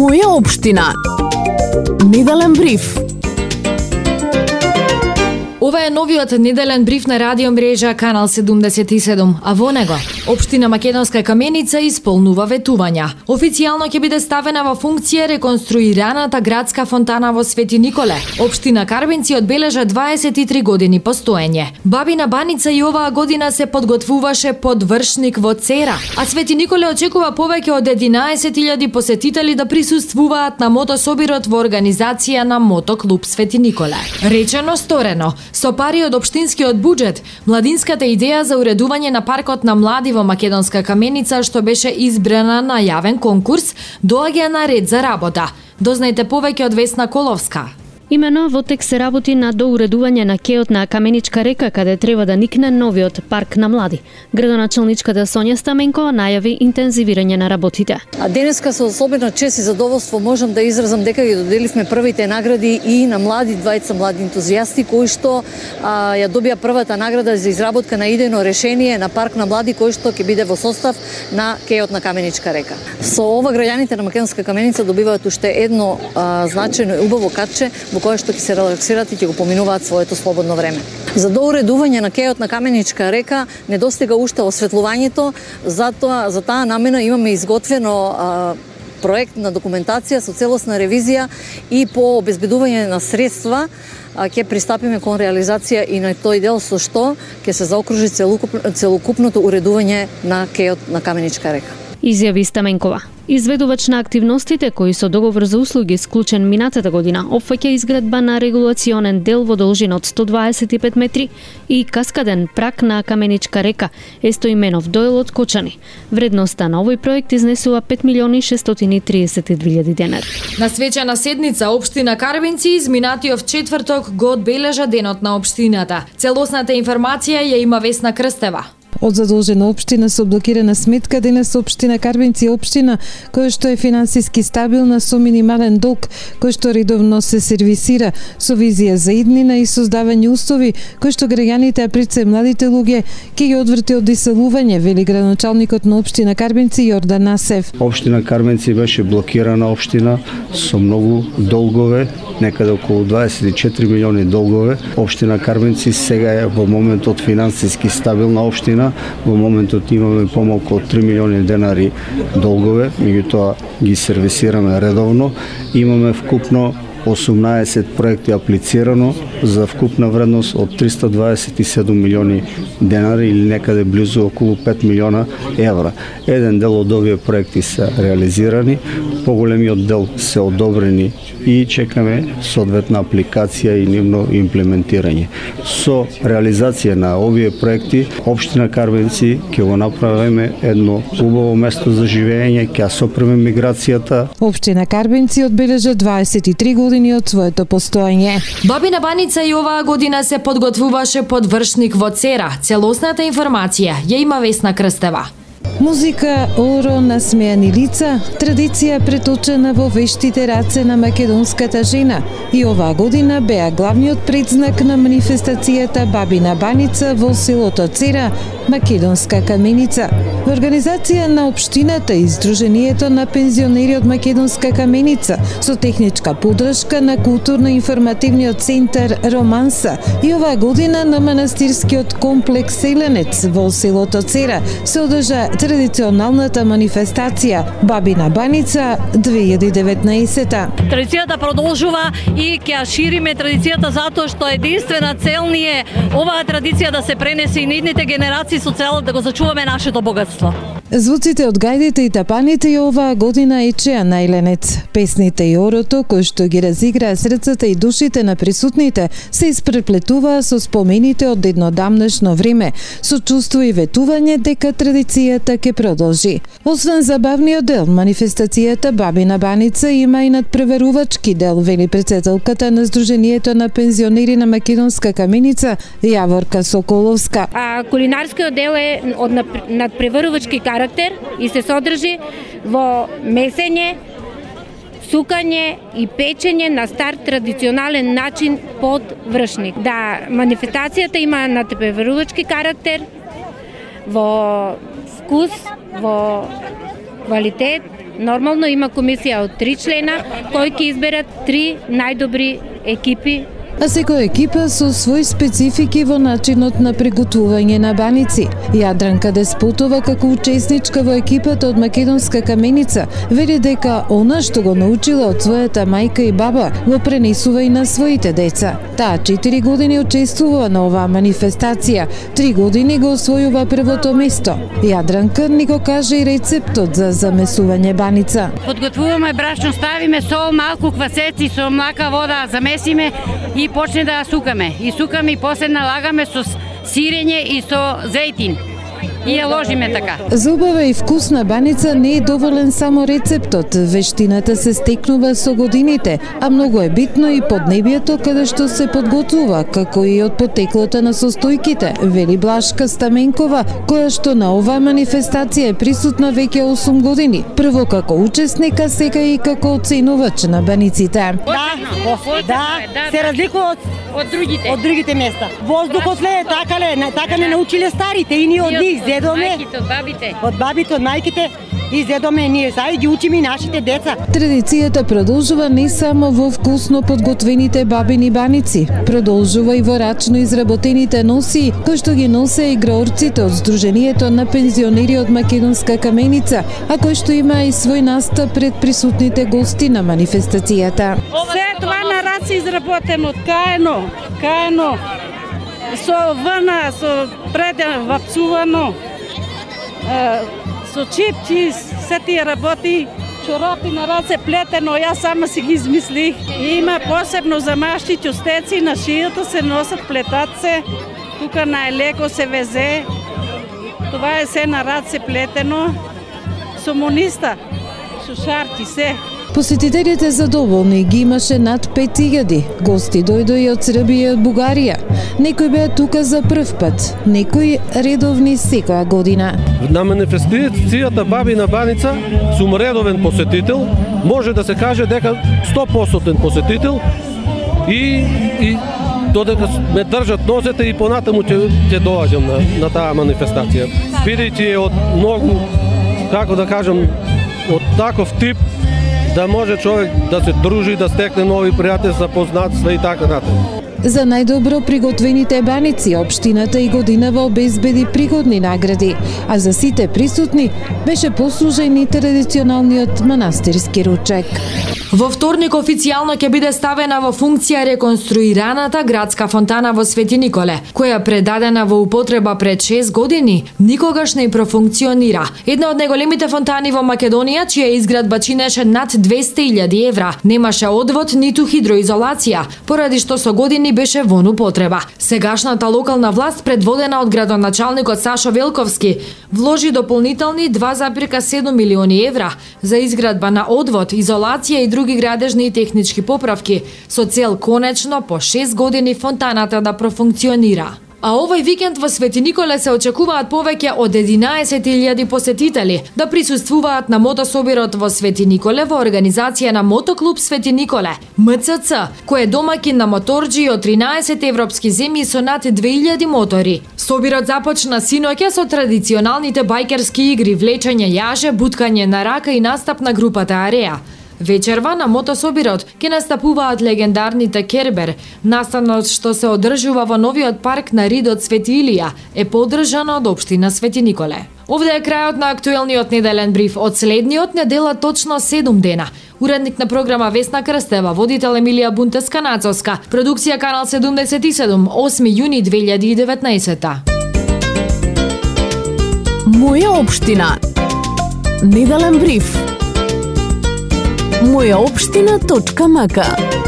Моја општина. Неделен бриф. Ова е новиот неделен бриф на радио мрежа Канал 77, а во него општина Македонска Каменица исполнува ветувања. Официјално ќе биде ставена во функција реконструираната градска фонтана во Свети Николе. Општина Карбинци одбележа 23 години постоење. Бабина Баница и оваа година се подготвуваше подвршник во Цера, а Свети Николе очекува повеќе од 11.000 посетители да присуствуваат на мотособирот во организација на Мотоклуб Свети Николе. Речено сторено. Со пари од општинскиот буџет, младинската идеја за уредување на паркот на млади во Македонска Каменица, што беше избрана на јавен конкурс, доаѓа на ред за работа. Дознајте повеќе од Весна Коловска. Имено во тек се работи на доуредување на кеот на Каменичка река, каде треба да никне новиот парк на млади. Градоначелничката Сонја Стаменкова најави интензивирање на работите. А денеска со особена чест и задоволство можам да изразам дека ги доделивме првите награди и на двајца млади ентузијасти кои што ја добија првата награда за изработка на идејно решение на парк на млади кој што ќе биде во состав на кеот на Каменичка река. Со ова граѓаните на Македонска Каменица добиваат уште едно значајно и убаво катче во кое што ќе се релаксират и ќе го поминуваат своето слободно време. За доуредување на кеот на Каменичка река недостига уште осветлувањето, затоа за таа намена имаме изготвено проект на документација со целосна ревизија и по обезбедување на средства ќе пристапиме кон реализација и на тој дел со што ќе се заокружи целокупното уредување на кеот на Каменичка река. Изјави Стаменкова. Изведувач на активностите кои со договор за услуги склучен минатата година опфаќа изградба на регулационен дел во должина од 125 метри и каскаден прак на Каменичка река Естоименов доел од Кочани. Вредноста на овој проект изнесува 5.632.000 денари. На свечена седница општина Карбинци изминатиот четврток го одбележа денот на општината. Целосната информација ја има Весна Крстева. Од задолжена општина со блокирана сметка, денес општина Карбинци е општина која што е финансиски стабилна со минимален долг, кој што редовно се сервисира со визија за иднина и создавање услови кои што граѓаните, а пред се младите луѓе, ќе ги одврти од иселување, вели градоначалникот на општина Карбинци Јордан Насев. Општина Карбинци беше блокирана општина со многу долгове, некаде околу 24 милиони долгове. Општина Карбинци сега е во моментот финансиски стабилна општина. Во моментот имаме помалку од 3 милиони денари долгове, меѓутоа ги сервисираме редовно. Имаме вкупно 18 проекти аплицирано за вкупна вредност од 327 милиони денари или некаде близу околу 5 милиона евра. Еден дел од овие проекти се реализирани, поголемиот дел се одобрени и чекаме соодветна апликација и нивно имплементирање. Со реализација на овие проекти, општина Карбинци ќе го направиме едно убаво место за живење, ќе сопреме миграцијата. Општина Карбинци одбележа 23 години од своето постоење. Бабина Баница и оваа година се подготвуваше подвршник во Цера. Целосната информација ја има Весна Крстева. Музика, оро, насмејани лица, традиција преточена во вештите раце на македонската жена. И оваа година беа главниот предзнак на манифестацијата Бабина Баница во селото Цера, Македонска Каменица. Во организација на општината и Сдруженијето на пензионери од Македонска Каменица со техничка поддршка на културно-информативниот центар Романса и оваа година на манастирскиот комплекс Селенец во селото Цера се одржа традиционалната манифестација Бабина Баница 2019. Традицијата продолжува и ќе ја шириме традицијата затоа што единствена цел ни е оваа традиција да се пренесе и на идните генерации со цел да го зачуваме нашето богатство. Звуците од гајдите и тапаните и оваа година ечеа на Еленец. Песните и орото, кои што ги разиграа срцата и душите на присутните, се испреплетуваа со спомените од еднодамнешно време, со чувство и ветување дека традицијата ќе продолжи. Освен забавниот дел, манифестацијата Бабина Баница има и надпреварувачки дел, вели претседателката на Сдруженијето на пензионери на Македонска Каменица Јаворка Соколовска. Кулинарскиот дел е од надпреварувачки карактер и се содржи во месење, сукање и печење на стар традиционален начин под вршник. Да, манифестацијата има надпреварувачки карактер во вкус, во квалитет Нормално има комисија од 3 члена кои ќе изберат 3 најдобри екипи. А секоја екипа со свој специфики во начинот на приготвување на баници. Јадранка Деспотова, како учесничка во екипата од Македонска каменица, вели дека она што го научила од својата мајка и баба го пренесува и на своите деца. Таа 4 години учествува на оваа манифестација, 3 години го освојува првото место. Јадранка ни го каже и рецептот за замесување баница. Подготвуваме брашно, ставиме сол, малку квасеци со млака вода, замесиме и почне да сукаме. И сукаме и после налагаме со сирење и со зејтин. И ја ложиме така. За убава и вкусна баница не е доволен само рецептот. Вештината се стекнува со годините, а многу е битно и поднебието каде што се подготвува, како и од потеклото на состојките, вели Блашка Стаменкова, која што на оваа манифестација е присутна веќе 8 години. Прво како учесник, а сега и како оценувач на баниците. Да, се разликува од другите места. Воздухот ле, така не научиле старите и ние од нив зедоме. Од бабите, од мајките и зедоме ние сега и ги учиме и нашите деца. Традицијата продолжува не само во вкусно подготвените бабини баници, продолжува и во рачно изработените носии, кои што ги носе играорците од Сдруженијето на пензионери од Македонска каменица, а кој што има и свој настап пред присутните гости на манифестацијата. Се това на раци изработено, каено, со врна, со преден вапсувано, со чипчи, се тие работи, чорапи на раце плетено, јас сама си ги измислих. Има посебно за машти чустеци, на шијата се носат, плетат се, тука на елеко се везе, това е се на раце плетено, со мониста, шушарки, се. Посетителите задоволни, ги имаше над 5000. Гости дојдоа и од Србија и од Бугарија. Некои беа тука за прв пат, некои редовни секоја година. На манифестацијата Бабина баница сум редовен посетител, може да се каже дека 100% посетител и додека ме држат нозете и понатаму ќе доаѓам на таа манифестација. Бидејќи е од многу, како да кажам, од таков тип да може човек да се дружи, да стекне нови пријателства, познатства и така натаму. За најдобро приготвените баници, општината и годинава обезбеди пригодни награди, а за сите присутни беше послужен и традиционалниот манастирски ручек. Во вторник официјално ќе биде ставена во функција реконструираната градска фонтана во Свети Николе, која предадена во употреба пред 6 години, никогаш не профункционира. Една од најголемите фонтани во Македонија, чија изградба чинеше над 200.000 евра, немаше одвод ниту хидроизолација, поради што со години беше во употреба. Сегашната локална власт, предводена од градоначалникот Сашо Велковски, вложи дополнителни 2,7 милиони евра за изградба на одвод, изолација и други градежни и технички поправки, со цел конечно по 6 години фонтаната да профункционира. А овој викенд во Свети Николе се очекуваат повеќе од 11.000 посетители да присуствуваат на мотособирот во Свети Николе во организација на Мотоклуб Свети Николе, МЦЦ, кој е домаќин на моторџи од 13 европски земји со над 2000 мотори. Собирот започна синоќа со традиционалните бајкерски игри, влечење јаже, буткање на рака и настап на групата Ареа. Вечерва на мотособирот ќе настапуваат легендарните Кербер. Настанот што се одржува во новиот парк на Ридот Свети Илија е поддржан од општина Свети Николе. Овде е крајот на актуелниот неделен бриф од следниот недела точно 7 дена. Уредник на програма Весна Крстева, водител Емилија Бунтеска-Нацовска, продукција Канал 77, 8 јуни 2019. Моја општина. Неделен бриф. Мојаопштина.мк